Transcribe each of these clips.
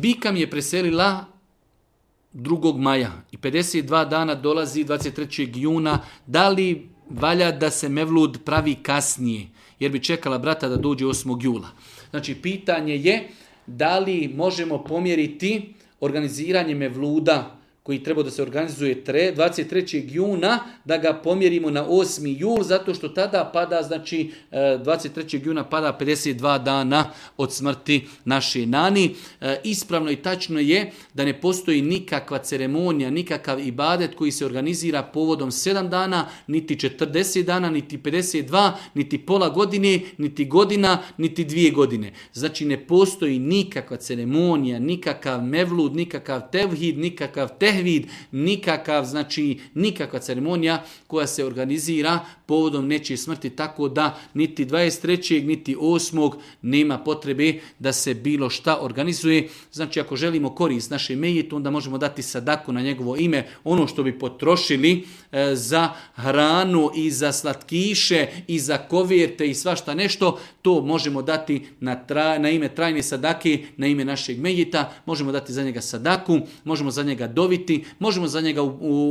Bika mi je preselila 2. maja i 52 dana dolazi 23. juna. Da li valja da se mevlud pravi kasnije? Jer bi čekala brata da dođe 8. jula. Znači, pitanje je da li možemo pomjeriti organiziranje mevluda koji treba da se organizuje 23. juna, da ga pomjerimo na 8. jul, zato što tada pada, znači 23. juna pada 52 dana od smrti naše nani. Ispravno i tačno je da ne postoji nikakva ceremonija, nikakav ibadet koji se organizira povodom 7 dana, niti 40 dana, niti 52, niti pola godine, niti godina, niti 2 godine. Znači ne postoji nikakva ceremonija, nikakav mevlud, nikakav tevhid, nikakav tehvid, nikakva ceremonija koja se organizira povodom nečije smrti, tako da niti 23. niti 8. nema potrebe da se bilo šta organizuje. Znači ako želimo korist naše mejitu, onda možemo dati sadaku na njegovo ime, ono što bi potrošili za hranu i za slatkiše i za koverte i svašta nešto, to možemo dati na ime trajne sadake, na ime našeg mejita, možemo dati za njega sadaku, možemo za njega doviti, možemo za njega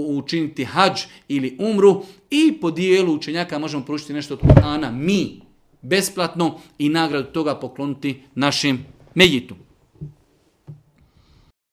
učiniti hadž ili umru i po dijelu učenjaka možemo proučiti nešto od Kur'ana mi besplatno i nagradu toga pokloniti našem mejitu.